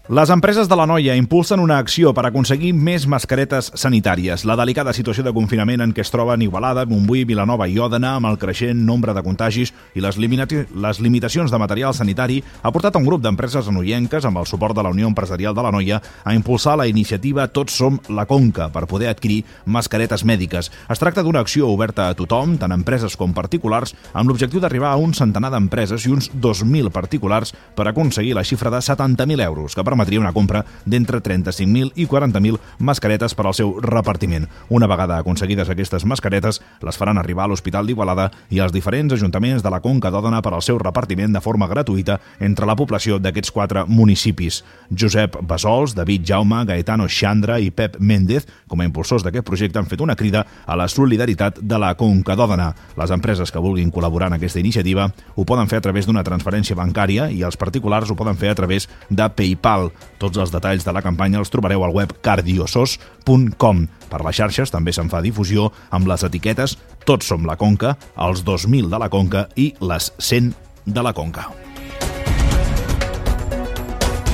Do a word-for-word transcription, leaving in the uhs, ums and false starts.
Les empreses de l'Anoia impulsen una acció per aconseguir més mascaretes sanitàries. La delicada situació de confinament en què es troben Igualada, Montbui, Vilanova i Òdena, amb el creixent nombre de contagis i les, les limitacions de material sanitari, ha portat a un grup d'empreses anoienques, amb el suport de la Unió Empresarial de l'Anoia, a impulsar la iniciativa Tots som la Conca per poder adquirir mascaretes mèdiques. Es tracta d'una acció oberta a tothom, tant empreses com particulars, amb l'objectiu d'arribar a un centenar d'empreses i uns dos mil particulars per aconseguir la xifra de setanta mil euros, que permetria una compra d'entre trenta-cinc mil i quaranta mil mascaretes per al seu repartiment. Una vegada aconseguides aquestes mascaretes, les faran arribar a l'Hospital d'Igualada i als diferents ajuntaments de la Conca d'Òdena per al seu repartiment de forma gratuïta entre la població d'aquests quatre municipis. Josep Bassols, David Jaume, Gaetano Xandra i Pep Méndez, com a impulsors d'aquest projecte, han fet una crida a la solidaritat de la Conca d'Òdena. Les empreses que vulguin col·laborar en aquesta iniciativa ho poden fer a través d'una transferència bancària i els particulars ho poden fer a través de PayPal. Tots els detalls de la campanya els trobareu al web cardiosos punt com. Per les xarxes també se'n fa difusió amb les etiquetes Tots som la Conca, els dos mil de la Conca i les cent de la Conca.